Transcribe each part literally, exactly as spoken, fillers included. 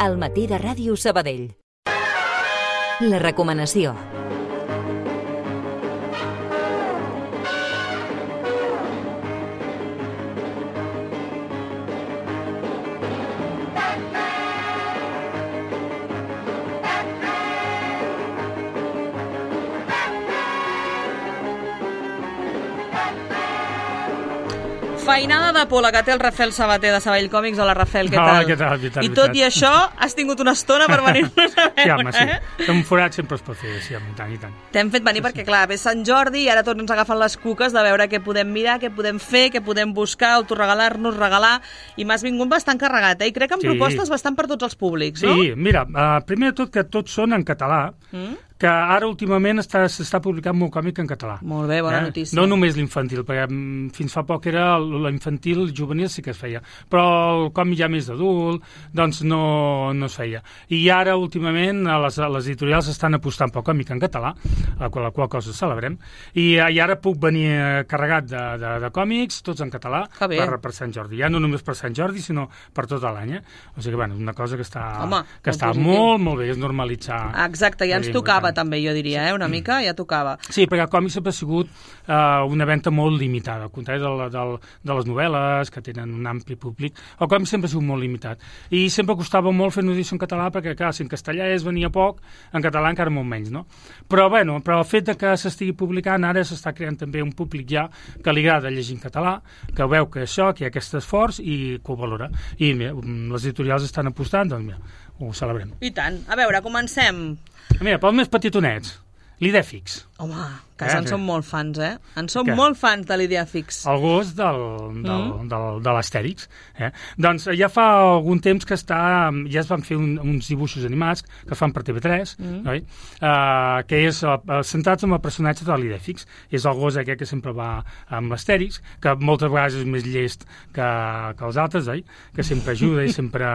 al matí de Ràdio Sabadell. La recomanació. Feinada de pola que té el Rafael Sabater de Sabadell Còmics. Hola, Rafael, què tal? Oh, què tal, què tal, I tot i això, has tingut una estona per venir-nos a veure. Sí, home, sí. Eh? Un forat sempre es pot fer, sí, home, i tant, i tant. T'hem fet venir sí, perquè, clar, ve Sant Jordi i ara tots ens agafen les cuques de veure què podem mirar, què podem fer, què podem buscar, autoregalar-nos, regalar, i m'has vingut bastant carregat, eh? I crec que amb sí. propostes bastant per tots els públics, sí, no? Sí, mira, uh, primer de tot que tots són en català, mm? que ara últimament s'està publicant molt còmic en català. Molt bé, bona eh? notícia. No només l'infantil, perquè fins fa poc era l'infantil, el juvenil sí que es feia, però el còmic ja més adult, doncs no, no es feia. I ara últimament les, les editorials estan apostant pel còmic en català, la qual, la qual cosa celebrem, i, i ara puc venir carregat de, de, de còmics, tots en català, per, per Sant Jordi. Ja no només per Sant Jordi, sinó per tot l'any. Eh? O sigui que, bueno, una cosa que està, Home, que està molt, molt bé, és normalitzar. Exacte, ja ens tocava també, jo diria, eh? Una mica ja tocava. Sí, perquè el còmic sempre ha sigut uh, una venda molt limitada, al contrari de, de, de les novel·les, que tenen un ampli públic. El còmic sempre ha sigut molt limitat. I sempre costava molt fer una edició en català, perquè, clar, si en castellà es venia poc, en català encara molt menys, no? Però, bueno, però el fet que s'estigui publicant, ara s'està creant també un públic ja que li agrada llegir en català, que veu que això, que hi ha aquest esforç i que ho valora. I mira, les editorials estan apostant, doncs mira, ho celebrem. I tant. A veure, comencem. Mira, pels més petitonets, l'Idèfix. Home, que eh, en som molt fans, eh? En som Què? molt fans de l'Idèfix. El gos del, del, mm. del, de l'Astèrix. Eh? Doncs ja fa algun temps que està, ja es van fer un, uns dibuixos animats que es fan per T V tres, mm. oi? Uh, que és uh, centrats en el personatge de l'Idèfix. És el gos aquest que sempre va amb l'Astèrix, que moltes vegades és més llest que, que els altres, oi? Que sempre ajuda i sempre...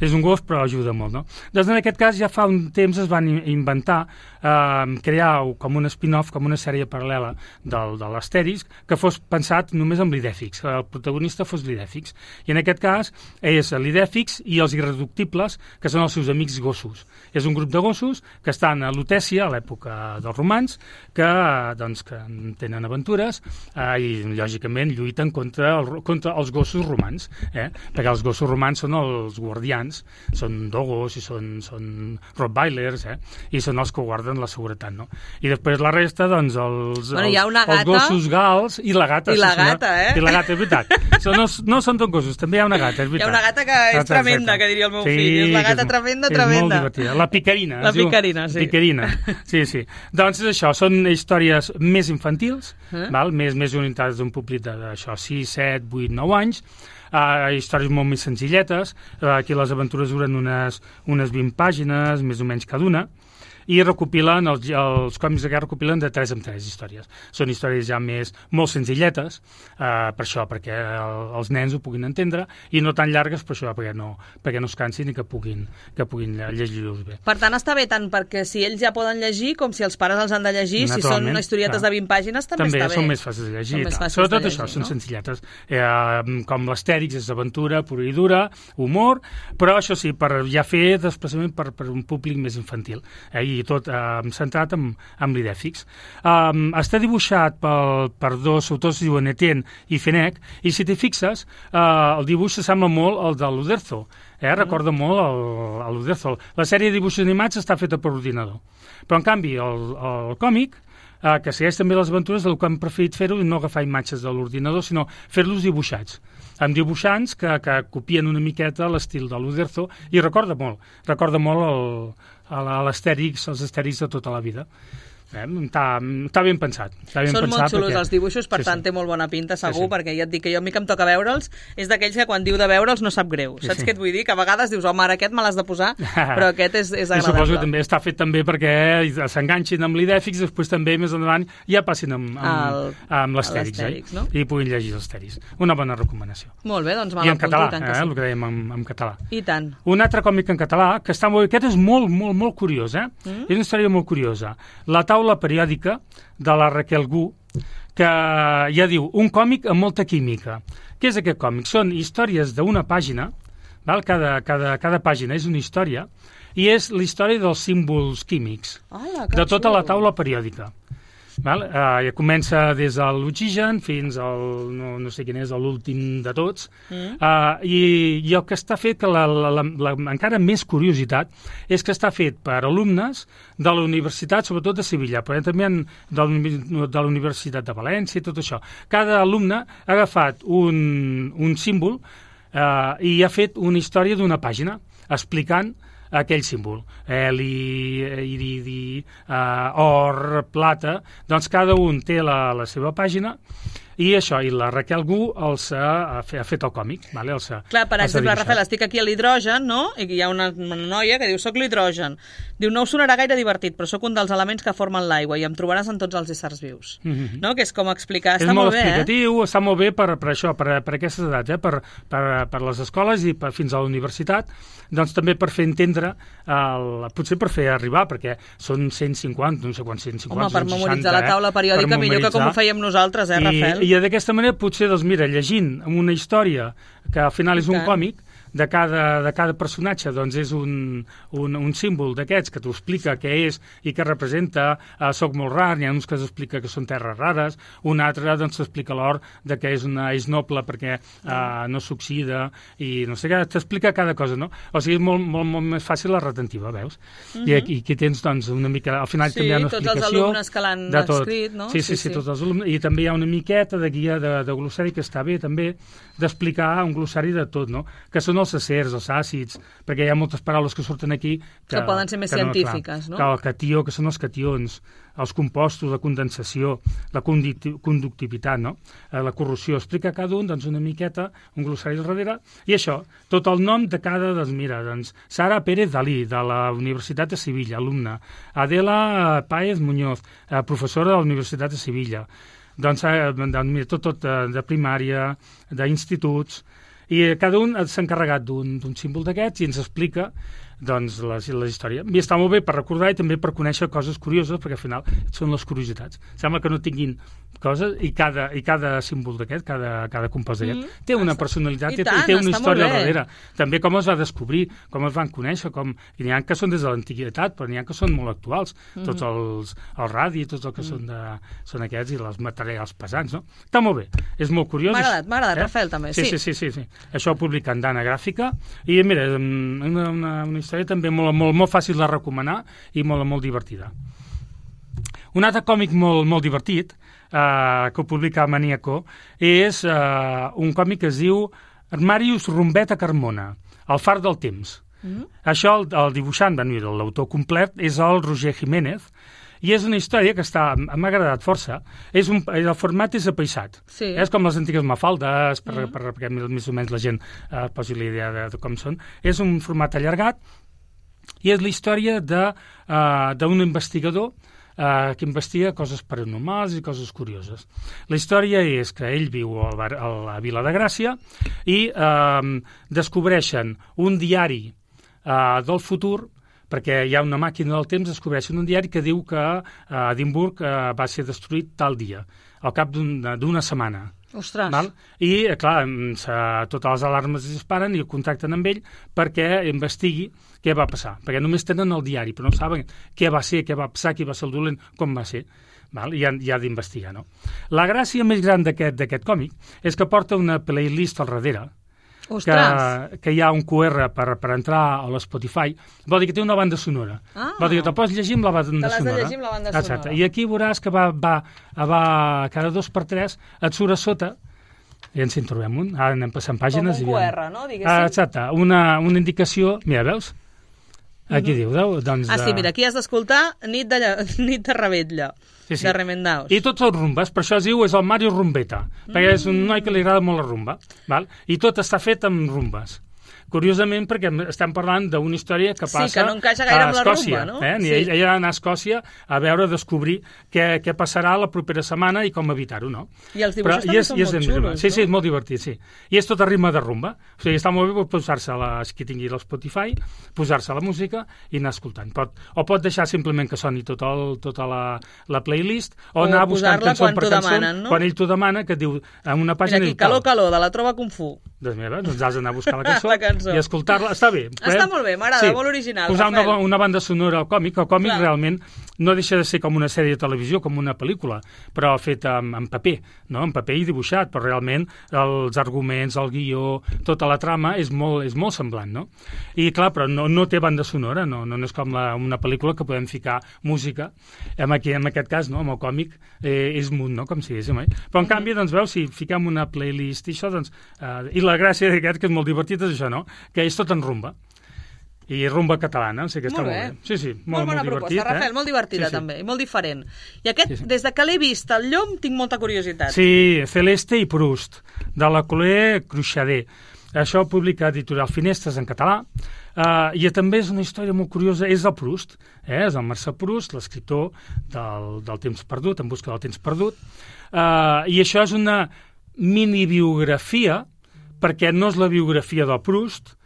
És un gos, però ajuda molt, no? Doncs en aquest cas ja fa un temps es van inventar, uh, crear com un spin-off, com una sèrie paral·lela del, de l'Astèrix, que fos pensat només amb l'Idèfix, que el protagonista fos l'Idèfix. I en aquest cas és l'Idèfix i els Irreductibles, que són els seus amics gossos. És un grup de gossos que estan a Lutècia, a l'època dels romans, que, doncs, que tenen aventures eh, i, lògicament, lluiten contra, el, contra els gossos romans, eh? Perquè els gossos romans són els guardians, són dogos i són, són rottweilers, eh? I són els que guarden la seguretat, no? I després la resta, doncs, els, bueno, els, gata, els gossos gals i la gata. I la gata, eh? I la gata, és veritat. So, no, no són tot gossos, també hi ha una gata, és veritat. Hi ha una gata que és exacte, tremenda, que diria el meu sí, fill. És la gata tremenda, és tremenda. És molt divertida. La picarina. La picarina, diu, sí. Picarina, sí, sí. Doncs és això, són històries més infantils, eh? val? Més, més orientades d'un públic d'això, sis, set, vuit, nou anys, Uh, històries molt més senzilletes. Uh, aquí les aventures duren unes, unes vint pàgines, més o menys cada una, i recopilen, els, els còmics de guerra recopilen de tres en tres històries. Són històries ja més, molt senzilletes, eh, per això, perquè el, els nens ho puguin entendre, i no tan llargues, per això, perquè no, perquè no es cansin i que puguin, que puguin llegir-los bé. Per tant, està bé tant perquè si ells ja poden llegir, com si els pares els han de llegir, si són historietes clar. de vint pàgines, també, també està bé. També són més fàcils de llegir. Fàcils Sobretot de llegir, això, no? són senzilletes. Eh, com l'Astèrix és aventura pura i dura, humor, però això sí, per ja fer desplaçament per, per un públic més infantil. Eh, I tot eh, centrat en, en l'Idèfix. Um, està dibuixat pel, per dos autors, diuen Etienne i Fenech, i si t'hi fixes, uh, el dibuix s'assembla molt al de l'Uderzo. Eh? Mm. Recorda molt el, el l'Uderzo. La sèrie de dibuixos animats està feta per ordinador. Però, en canvi, el, el còmic, uh, que segueix també les aventures, el que hem preferit fer-ho és no agafar imatges de l'ordinador, sinó fer-los dibuixats amb dibuixants que, que copien una miqueta l'estil de l'Uderzo, i recorda molt, recorda molt el, a l'Astèrix, els Astèrix de tota la vida. Eh, està, està ben pensat. Està ben Són pensat molt xulos perquè... els dibuixos, per sí, tant sí. té molt bona pinta, segur, sí, sí. perquè ja et dic que jo a mi que em toca veure'ls és d'aquells que quan diu de veure'ls no sap greu. Sí, Saps sí. què et vull dir? Que a vegades dius, home, ara aquest me l'has de posar, però aquest és, és agradable. I suposo que també està fet també perquè s'enganxin amb l'Idèfix, després també més endavant ja passin amb, amb, amb l'Astèrix, eh? no? I puguin llegir l'Astèrix. Una bona recomanació. Molt bé, doncs me I en l'apunto, català, i tant eh? que sí. El que dèiem en, en català. I tant. Un altre còmic en català, que està molt... Aquest és molt, molt, molt curiós, eh? Mm? És una història molt curiosa. La taula periòdica de la Raquel Gu, que ja diu, un còmic amb molta química. Què és aquest còmic? Són històries d'una pàgina, val? Cada, cada, cada pàgina és una història, i és la història dels símbols químics, Hola, de tota la taula periòdica. Val? Uh, ja comença des de l'oxigen fins al, no, no sé quin és, l'últim de tots, mm. uh, i, i el que està fet, que la, la, la, la, encara més curiositat, és que està fet per alumnes de la Universitat, sobretot de Sevilla, però també en, de, de la Universitat de València i tot això. Cada alumne ha agafat un, un símbol uh, i ha fet una història d'una pàgina explicant aquell símbol, heli, iridi, uh, or, plata, doncs cada un té la, la seva pàgina, i això, i la Raquel Gu els ha, ha fet el còmic. Vale? Els ha, Clar, per els exemple, Rafael, estic aquí a l'hidrogen, no? I hi ha una, una noia que diu, soc l'hidrogen. Diu, no us sonarà gaire divertit, però sóc un dels elements que formen l'aigua i em trobaràs en tots els éssers vius. Mm-hmm. No? Que és com explicar, és està molt, molt bé, explicatiu, eh? Està molt bé per, per això, per, per aquestes edats, eh? per, per, per les escoles i per, fins a la universitat, doncs també per fer entendre, el, potser per fer arribar, perquè són cent cinquanta, no sé quants, cent cinquanta, Home, per cent memoritzar seixanta, la taula periòdica, eh? millor que com ho fèiem nosaltres, eh, Rafael? I, i d'aquesta manera, potser, doncs mira, llegint una història que al final és un còmic, de cada, de cada personatge doncs és un, un, un símbol d'aquests que t'ho explica què és i què representa, uh, soc molt rar, n'hi ha uns que s'explica que són terres rares, un altre doncs s'explica l'or de que és, una, és noble perquè uh, no s'oxida i no sé què, t'explica cada cosa, no? O sigui, és molt, molt, molt més fàcil la retentiva, veus? Mm-hmm. I, aquí, aquí tens doncs una mica, al final sí, també hi ha una explicació. Sí, tots els alumnes que l'han escrit, no? Sí, sí, sí, sí, tots els alumnes, i també hi ha una miqueta de guia de, de glossari que està bé també d'explicar un glossari de tot, no? Que són els acers, els àcids, perquè hi ha moltes paraules que surten aquí que, que poden ser més que no, científiques, clar, no? Que el catió, que són els cations, els compostos, la condensació, la conductivitat, no? La corrosió. Explica cada un doncs, una miqueta, un glossari al darrere, i això, tot el nom de cada, doncs mira, doncs, Sara Pérez Dalí, de la Universitat de Sevilla, alumna, Adela Páez Muñoz, professora de la Universitat de Sevilla, doncs, doncs mira, tot, tot de, de primària, d'instituts, i cada un s'ha encarregat d'un símbol d'aquests i ens explica doncs, la, la història. I està molt bé per recordar i també per conèixer coses curioses, perquè al final són les curiositats. Sembla que no tinguin coses i cada, i cada símbol d'aquest, cada, cada compost d'aquest, mm, té una personalitat i, tant, i té una història al darrere. També com es va descobrir, com es van conèixer, com... i n'hi ha que són des de l'antiguitat, però n'hi ha que són molt actuals. Mm. Tots els, els radis, tots els que mm. són, de, són aquests i els materials pesants, no? Està molt bé, és molt curiós. M'ha agradat, m'ha agradat, eh? Rafael, també. Sí, sí, sí, sí, sí. Això ho publica en Dana Gràfica i mira, una, una, una història també molt, molt, molt fàcil de recomanar i molt, molt divertida. Un altre còmic molt, molt divertit eh, que ho publica Maníaco és eh, un còmic que es diu Màrius Rumbeta Carmona, El far del temps. Mm-hmm. Això, el, el dibuixant, l'autor complet, és el Roger Jiménez, i és una història que està, m'ha agradat força. És un, el format és apaïsat. Sí. És com les antigues mafaldes, per, mm. per, per, perquè més o menys la gent eh, posi la idea de, de com són. És un format allargat i és la història d'un uh, investigador uh, que investiga coses paranormals i coses curioses. La història és que ell viu a la, a la Vila de Gràcia i uh, descobreixen un diari uh, del futur, perquè hi ha una màquina del temps, descobreixen un diari que diu que uh, Edimburg uh, va ser destruït tal dia, al cap d'una un, setmana. Ostres. Val? I, clar, totes les alarmes es disparen i el contacten amb ell perquè investigui què va passar. Perquè només tenen el diari, però no saben què va ser, què va passar, qui va ser el dolent, com va ser. Val? I han, i ha d'investigar, no? La gràcia més gran d'aquest còmic és que porta una playlist al darrere, que, que hi ha un Q R per, per entrar a l'Spotify. Vol dir que té una banda sonora. Ah. Vol dir que te pots llegir amb la banda sonora. Te l'has de llegir amb la banda sonora. Exacte. I aquí veuràs que va, va, va cada dos per tres et surt a sota, i ens hi trobem un, ara anem passant pàgines. Com un Q R, no? Diguéssim. Ah, exacte, una, una indicació, mira, veus? Aquí uh-huh. diu, doncs... Ah, sí, mira, aquí has d'escoltar Nit de, Nit de Revetlla, sí, sí. de Remendaus. I tots els rumbes, per això es diu, és el Mario Rumbeta, mm. perquè és un noi que li agrada molt la rumba, val? I tot està fet amb rumbes. Curiosament, perquè estem parlant d'una història que passa sí, que no encaixa gaire amb la Escòcia. rumba, no? Eh? Sí. Ell, ell ha d'anar a Escòcia a veure, a descobrir què, què passarà la propera setmana i com evitar-ho, no? I els dibuixos Però, també és, són molt xulos, Sí, no? sí, és molt divertit, sí. I és tot a ritme de rumba. O sigui, està molt bé posar-se, la, qui tingui l'Spotify, posar-se la música i anar escoltant. Pot, o pot deixar simplement que soni tot el, tota la, la playlist, o, o anar buscant cançó per cançó, demanen, no? quan ell t'ho demana, que diu en una pàgina... Mira aquí, Calor, Calor, de la Trova Kung Fu. Doncs mira, doncs has d'anar a buscar la cançó, La cançó. i escoltar-la. Està bé. Està molt bé, m'agrada, molt original, Posar una, Rafael. una banda sonora al còmic. El còmic Clar. realment no deixa de ser com una sèrie de televisió, com una pel·lícula, però feta en, en paper, no? En paper i dibuixat, però realment els arguments, el guió, tota la trama és molt, és molt semblant, no? I clar, però no, no té banda sonora, no, no és com la, una pel·lícula que podem ficar música. En, aquí, en aquest cas, no? Amb el còmic eh, és mut, no? Com si diguéssim, eh? Però en canvi, doncs, veus, si fiquem una playlist i això, doncs... Eh, I la gràcia d'aquest, que és molt divertit, és això, no? Que és tot en rumba. I rumba catalana, o sigui que està Molt molt bé. bé. Sí, sí, Molt, molt, bona molt divertit. proposta, Rafael, eh? molt divertida sí, sí. també, i molt diferent. I aquest, Sí, sí. des de que l'he vist al llom, tinc molta curiositat. Sí, Celeste i Proust, de la Colé Cruixader. Això ho publica Editorial Finestres en català, uh, i també és una història molt curiosa, és el Proust, eh? És el Marcel Proust, l'escriptor del, del temps perdut, En busca del temps perdut, uh, i això és una mini-biografia, perquè no és la biografia del Proust,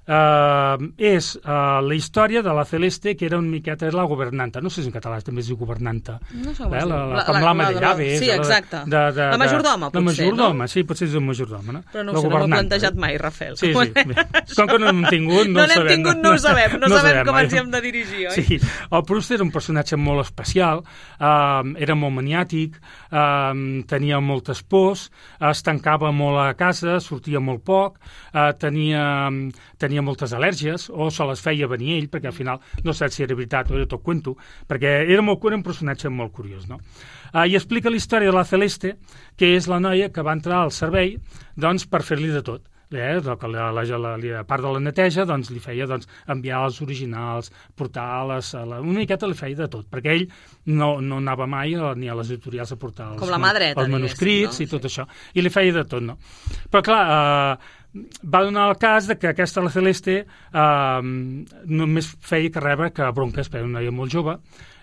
Uh, és uh, la història de la Celeste, que era una miqueta era la governanta, no sé si en català també es diu governanta, No sé com eh? es diu. la, la, La- com la- l'ama la- de la- llave. sí, exacte. De, de, La majordoma, de, potser, La majordoma, no? sí, potser és un majordoma, no? Però no La ho sé, no ho he governanta. plantejat mai, Rafael. Sí, sí. Bé. Com que no n'hem tingut, no, No ho n'hem sabem. tingut, no ho sabem, no sabem com mai. ens hi hem de dirigir, oi? Sí, el Proust era un personatge molt especial, eh, era molt maniàtic, eh, tenia moltes pors, es tancava molt a casa, sortia molt poc, eh, tenia, tenia moltes al·lèrgies, o se les feia venir ell, perquè al final no sé si era veritat o era tot cuento, perquè era, molt, era un personatge molt curiós, no? Uh, I explica la història de la Celeste, que és la noia que va entrar al servei doncs, per fer-li de tot. Eh? La, la, la, la, la part de la neteja doncs, li feia doncs, enviar els originals, portar les, a la, una miqueta li feia de tot, perquè ell no, no anava mai a, ni a les editorials a portar els, Com la mà dreta, els manuscrits no? i tot sí. Això, i li feia de tot, no? Però clar, eh, va donar el cas de que aquesta, la Celeste, eh, només feia que rebre que bronques, per una noia molt jove,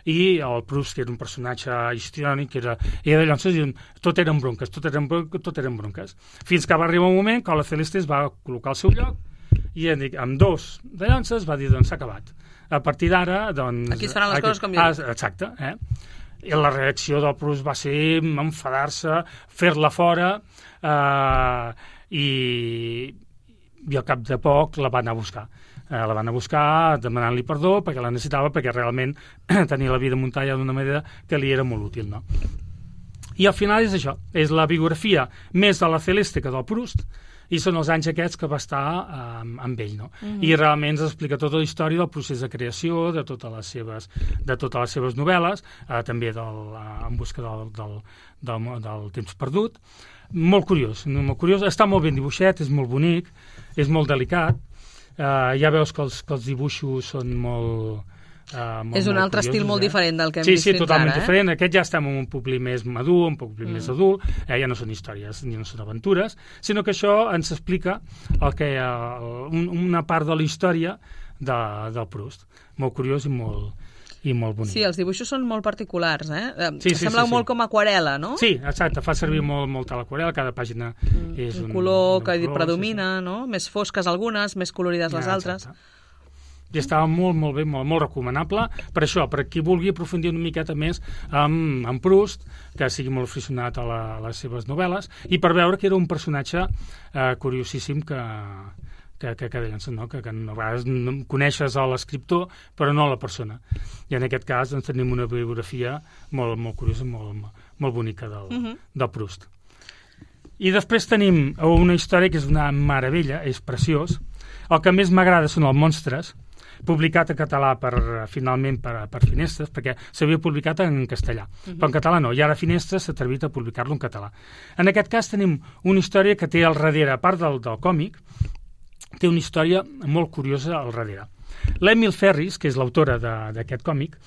i el Proust, que era un personatge histriònic, que era, era de llances, i tot eren bronques, tot eren, bronques, tot eren bronques. Fins que va arribar un moment que la Celeste es va col·locar al seu lloc, i amb dos de llances va dir, doncs s'ha acabat. A partir d'ara, doncs... Aquí es faran les aquí, coses com jo. Ah, exacte, eh? I la reacció del Proust va ser enfadar-se, fer-la fora, eh, i, i al cap de poc la va anar a buscar. Eh, la van a buscar demanant-li perdó perquè la necessitava, perquè realment tenia la vida muntada d'una manera que li era molt útil, no? I al final és això, és la biografia més de la Celeste que del Proust, i són els anys aquests que va estar eh, amb ell, no? Mm-hmm. I realment ens explica tota la història del procés de creació, de totes les seves, de totes les seves novel·les, eh, també del, eh, en busca del, del, del, del temps perdut. Molt curiós, molt curiós, està molt ben dibuixat, és molt bonic, és molt delicat. Uh, ja veus que els, que els dibuixos són molt... Uh, molt és un molt altre curiosos, estil molt eh? diferent del que hem sí, vist sí, fins totalment ara, eh? diferent. Aquest ja estem en un publi més madur, un publi mm. més adult, eh? Ja no són històries ni no són aventures, sinó que això ens explica el que, uh, un, una part de la història de, del Proust. Molt curiós i molt, i molt bonic. Sí, els dibuixos són molt particulars, eh? Sí, sí, Sembla sí, sí. molt com aquarela, no? Sí, exacte, fa servir mm. molt, molt a l'aquarela, cada pàgina mm. és un, un color un que color, predomina, sí, sí. no? Més fosques algunes, més colorides les Ja, altres. exacte. I estava molt, molt bé, molt, molt recomanable per això, per qui vulgui aprofundir una miqueta més amb, amb Proust, que sigui molt aficionat a, la, a les seves novel·les, i per veure que era un personatge eh, curiosíssim que, que, que, que, no? que, que a vegades no coneixes a l'escriptor però no a la persona. I en aquest cas doncs, tenim una biografia molt, molt curiosa, molt, molt bonica del, uh-huh. del Proust. I després tenim una història que és una meravella, és preciós. El que més m'agrada són els monstres, publicat en català per, finalment per, per Finestres, perquè s'havia publicat en castellà, uh-huh. però en català no, i ara Finestres s'ha atrevit a publicar-lo en català. En aquest cas tenim una història que té al darrere, a part del, del còmic, té una història molt curiosa al darrere. L'Emil Ferris, que és l'autora d'aquest còmic,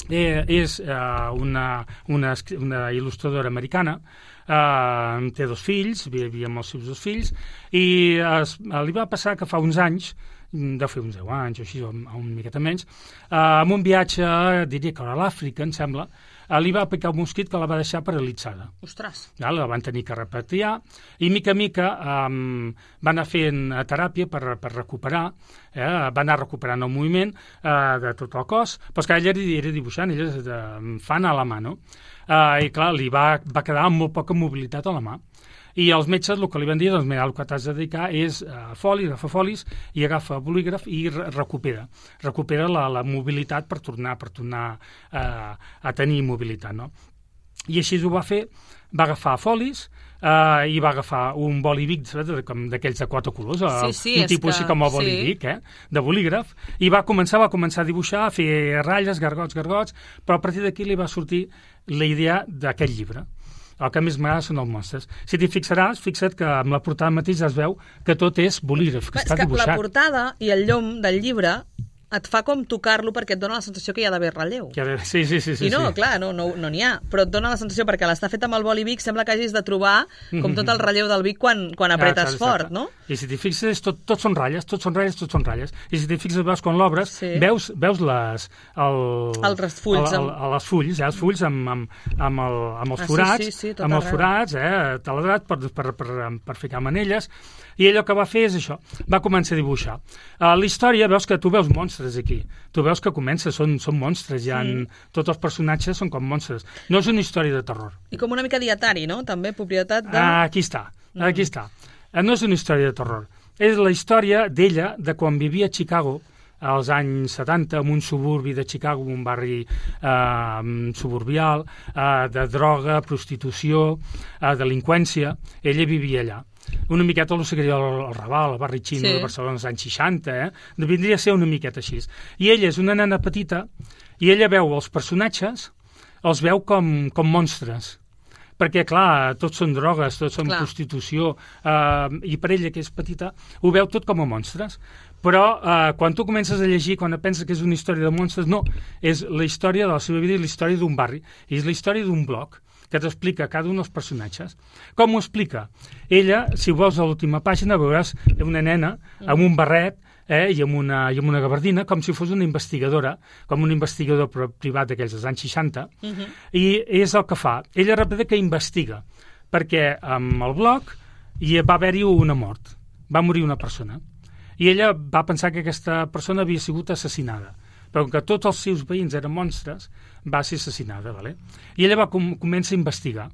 eh, és eh, una, una, una il·lustradora americana, eh, té dos fills, vivia amb els seus dos fills, i es, li va passar que fa uns anys, deu fer uns deu anys o així, o una miqueta menys, eh, amb un viatge, diria que a l'Àfrica, em sembla, eh, li va picar un mosquit que la va deixar paralitzada. Ostres! Ja, la van tenir que repatriar, i mica a mica eh, va anar fent teràpia per, per recuperar, eh, va anar recuperant el moviment eh, de tot el cos, però és que ella era, era dibuixant, ella és de, fan a la mà, no? Eh, I clar, li va, va quedar amb molt poca mobilitat a la mà. I els metges el que li van dir, doncs mira, el que t'has de dedicar és a foli, agafa folis i agafa bolígraf i re recupera. Recupera la, la mobilitat per tornar, per tornar eh, a tenir mobilitat, no? I així ho va fer, va agafar folis eh, i va agafar un boli Bic, d'aquells de quatre colors, sí, sí, un tipus que, així com el boli sí. Bic, eh, de bolígraf, i va començar, va començar a dibuixar, a fer ratlles, gargots, gargots, però a partir d'aquí li va sortir la idea d'aquest llibre. El que més m'agrada són els monstres. Si t'hi fixaràs, fixa't que amb la portada mateix es veu que tot és bolígraf, que és està que dibuixat. La portada i el llom del llibre et fa com tocar-lo perquè et dona la sensació que hi ha d'haver relleu. Que ha de... Sí, sí, sí, sí. I no, sí. clar, no n'hi no, no ha, però et dona la sensació perquè l'està fet amb el boli Bic, sembla que hagis de trobar com tot el relleu del Bic quan, quan apretes ah, fort, no? I si t'hi fixes, tot, tot són ratlles, tot són ratlles, tot són ratlles. I si t'hi fixes, veus quan l'obres, sí. veus, veus les... El, els fulls. El, el, el, els fulls, eh, els fulls amb, amb, amb, el, amb els ah, forats, sí, sí, sí, amb els forats, eh, taladrat per, per, per, per ficar manelles, i ell el que va fer és això, va començar a dibuixar. Uh, la història, veus que tu veus monstres aquí, tu veus que comença, són, són monstres, ja en, mm. tots els personatges són com monstres. No és una història de terror. I com una mica dietari, no? També, propietat de... Ah, aquí està, aquí mm. està. Uh, no és una història de terror. És la història d'ella, de quan vivia a Chicago, als anys setanta, en un suburbi de Chicago, un barri eh, suburbial, eh, de droga, prostitució, eh, delinqüència. Ella vivia allà. Una miqueta el que seria el, el Raval, el barri xino sí. de Barcelona als anys seixanta, eh? Vindria a ser una miqueta així. I ella és una nena petita i ella veu els personatges, els veu com, com monstres. Perquè, clar, tots són drogues, tots són clar. prostitució, eh, i per ella, que és petita, ho veu tot com a monstres. Però eh, quan tu comences a llegir, quan penses que és una història de monstres, no, és la història de la seva vida i la història d'un barri. I és la història d'un bloc que t'explica cada un dels personatges. Com ho explica? Ella, si veus a l'última pàgina, veuràs una nena amb un barret eh, i, amb una, i amb una gabardina, com si fos una investigadora, com un investigador privat d'aquells dels anys seixanta, uh -huh. i és el que fa. Ella representa que investiga, perquè amb el bloc hi va haver-hi una mort. Va morir una persona. I ella va pensar que aquesta persona havia sigut assassinada. Però com que tots els seus veïns eren monstres, va ser assassinada, ¿vale? I ella va com, comença a investigar.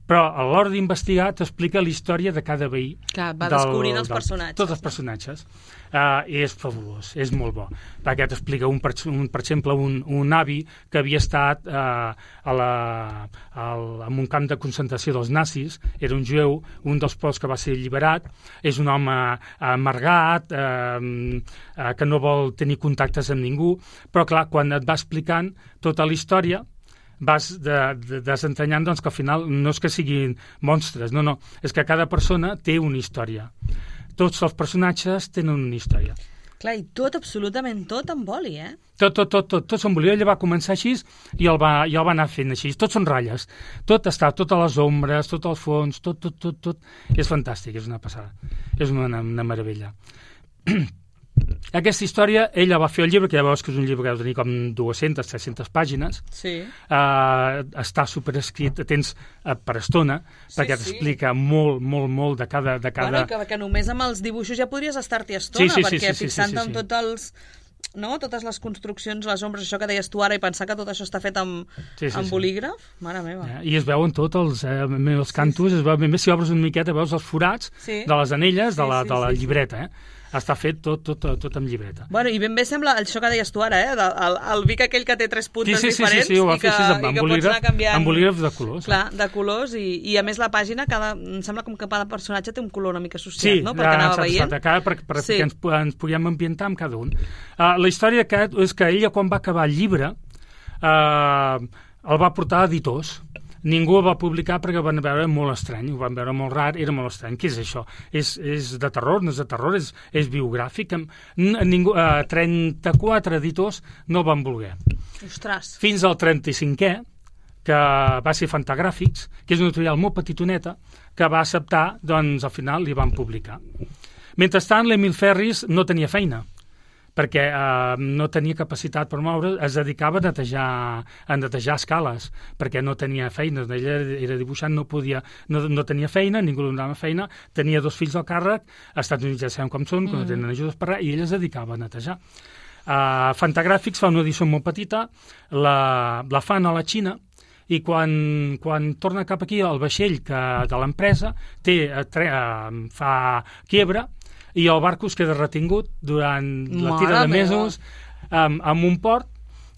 Però a l'hora d'investigar t'explica la història de cada veí. Que va del, descobrint els del, personatges. Tots els personatges. Uh, és fabulós, és molt bo. Perquè t'explica, un, per, un, per exemple, un, un avi que havia estat uh, a la, al, en un camp de concentració dels nazis, era un jueu, un dels pocs que va ser alliberat, és un home amargat, uh, uh, que no vol tenir contactes amb ningú, però clar, quan et va explicant tota la història, vas de, de, desentranyant doncs, que al final no és que siguin monstres, no, no, és que cada persona té una història. Tots els personatges tenen una història. Clar, i tot, absolutament tot en boli, eh? Tot, tot, tot, tot, tot són boli. Ella va començar així i el va, i el va anar fent així. Tot són ratlles. Tot està, totes les ombres, tot el fons, tot, tot, tot, tot. És fantàstic, és una passada. És una, una meravella. Aquesta història, ella va fer el llibre, que ja veus que és un llibre que deu tenir com dues-centes, tres-centes pàgines. Sí. Uh, està superescrit, tens uh, per estona, sí, perquè t'explica sí. molt, molt, molt de cada... De cada... Bueno, que, que només amb els dibuixos ja podries estar-t'hi estona, sí, sí, perquè sí, sí, fixant-te sí, sí, sí. en tots els... No? Totes les construccions, les ombres, això que deies tu ara, i pensar que tot això està fet amb, sí, sí, amb bolígraf, sí. Mare meva. Ja, I es veuen tots els, eh, els cantos, sí, sí. Es veu, més si obres una miqueta, veus els forats sí. de les anelles sí, de la, sí, de la sí, llibreta, eh? Està fet tot, tot, tot, tot amb llibreta. Bueno, i ben bé sembla això que deies tu ara, eh? El, el Vic aquell que té tres puntes sí, sí, diferents sí, sí, sí, i que, amb, i que bolígraf, pots anar canviant... amb bolígraf de colors. Clar, de colors, i, i a més la pàgina, cada, em sembla com que cada personatge té un color una mica associat, sí, no? Perquè anava veient. Sí, cada, per, per, sí. perquè ens, ens puguem ambientar amb cada un. Uh, la història que, és que ella, quan va acabar el llibre, uh, el va portar a editors. Ningú el va publicar perquè van veure molt estrany, ho van veure molt rar, era molt estrany. Què és això? És, és de terror, no és de terror, és, és biogràfic. Ningú, eh, trenta-quatre editors no el van voler. Ostres. Fins al trenta-cinquè, que va ser Fantagràfics, que és una editorial molt petitoneta, que va acceptar, doncs al final li van publicar. Mentrestant, l'Emil Ferris no tenia feina, perquè eh, no tenia capacitat per moure, es dedicava a netejar, a netejar escales, perquè no tenia feina, ella era dibuixant, no podia, no, no tenia feina, ningú li donava feina, tenia dos fills al càrrec, als Estats Units ja sabem com són, que mm. no tenen ajudes per res, i ella es dedicava a netejar. Uh, Fantagràfics fa una edició molt petita, la, la fan a la Xina, i quan, quan torna cap aquí el vaixell que, de l'empresa té, tre, fa quiebra i el barco es queda retingut durant la tira de mesos amb, amb un port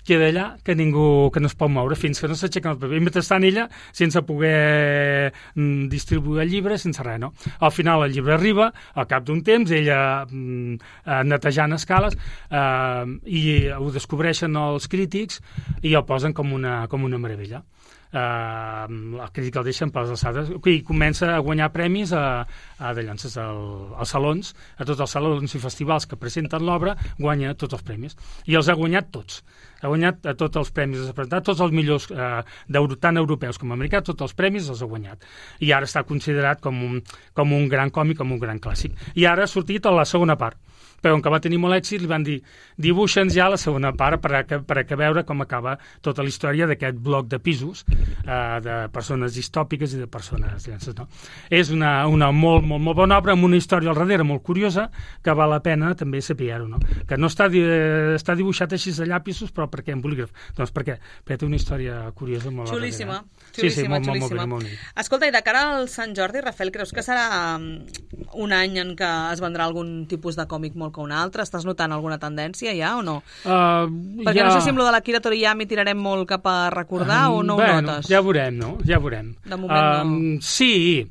queda allà que ningú que no es pot moure fins que no s'aixequen el paper. I mentrestant ella, sense poder mm, distribuir el llibre, sense res, no? Al final el llibre arriba, al cap d'un temps, ella mm, eh, netejant escales, eh, i ho descobreixen els crítics i el posen com una, com una meravella. Uh, el crític el deixen per les alçades i comença a guanyar premis a, a de llances al, als salons, a tots els salons i festivals que presenten l'obra, guanya tots els premis i els ha guanyat tots, ha guanyat a tots els premis, ha presentat tots els millors eh, tant europeus com americans, tots els premis els ha guanyat i ara està considerat com un, com un gran còmic, com un gran clàssic i ara ha sortit a la segona part, però com que va tenir molt èxit li van dir dibuixa'ns ja la segona part per a, per a que veure com acaba tota la història d'aquest bloc de pisos eh, de persones distòpiques i de persones llences, no? És una, una molt, molt, molt bona obra amb una història al darrere molt curiosa que val la pena també saber-ho, no? Que no està, eh, està dibuixat així de llapisos, però per què en bolígraf? Doncs perquè, perquè té una història curiosa molt xulíssima, xulíssima, sí, sí, molt, xulíssima. Molt, molt, molt Escolta, i de cara al Sant Jordi, Rafael, creus que serà un any en què es vendrà algun tipus de còmic molt que un altre? Estàs notant alguna tendència ja o no? Uh, Perquè ja... no sé si amb lo de l'Akira Toriyama tirarem molt cap a recordar uh, o no bueno, ho notes? Ja veurem, no? Ja veurem. De moment uh, no. Sí,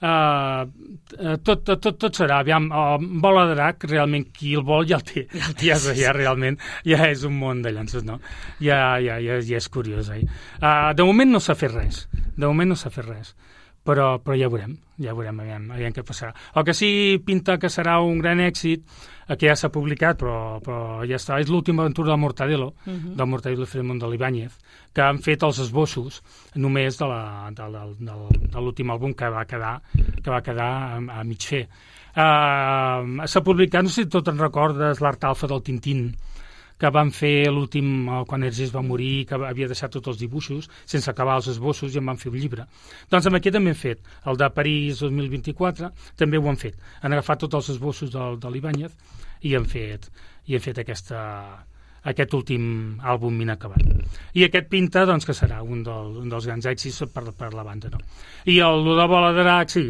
uh, tot, tot, tot, tot serà. Aviam, uh, Bola de Drac, realment, qui el vol ja el té. Ja, el té, ja, sí. ja realment, ja és un món de llances, no? Ja, ja, ja, ja és curiós, eh? Uh, de moment no s'ha fet res. De moment no s'ha fet res. Però, però ja veurem, ja veurem, aviam, aviam què passarà. El que sí pinta que serà un gran èxit, que ja s'ha publicat, però, però ja està, és l'última aventura del Mortadelo, uh -huh. del Mortadelo i Filemón de l'Ibáñez, que han fet els esbossos només de, la, de, de, de, de l'últim àlbum que va quedar, que va quedar a, a mig fer. Uh, s'ha publicat, no sé si tot en recordes, l'art alfa del Tintín, que van fer l'últim, quan Hergés va morir, que havia deixat tots els dibuixos, sense acabar els esbossos, i en van fer un llibre. Doncs amb aquest també han fet, el de París dos mil vint-i-quatre, també ho han fet. Han agafat tots els esbossos de, de l'Ibáñez i han fet, i han fet aquesta, aquest últim àlbum inacabat. I aquest pinta, doncs, que serà un, del, un dels grans èxits per, per la banda, no? I el de Bola de Drac, sí,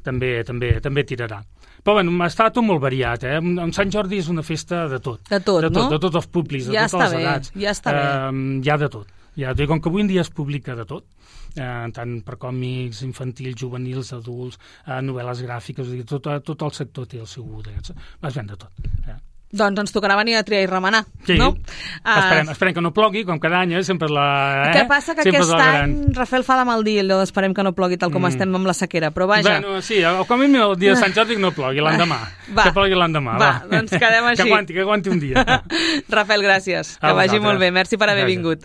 també, també, també tirarà. Però bueno, està tot molt variat, eh? En Sant Jordi és una festa de tot. De tot, de tot, no? De tots els públics, de ja totes les bé, edats. Ja està bé, eh, Hi ha de tot. Ja, com que avui en dia es publica de tot, eh, tant per còmics infantils, juvenils, adults, eh, novel·les gràfiques, dir, tot, tot el sector té el seu d'aquests. Es ven de tot. Eh? Doncs ens tocarà venir a triar i remenar, sí. no? Esperem, uh, esperem que no plogui, com cada any, eh? Sempre la... Eh? Què passa? Que sempre aquest any, Rafael, fa de mal dir allò d'esperem que no plogui tal com mm. estem amb la sequera, però vaja... Bueno, sí, com a mínim el dia de Sant Jordi no plogui, l'endemà. Va. Que plogui l'endemà, va. Va, doncs quedem així. Que aguanti, que aguanti un dia. Rafael, gràcies. A que vagi molt bé. Merci per haver gràcies. vingut.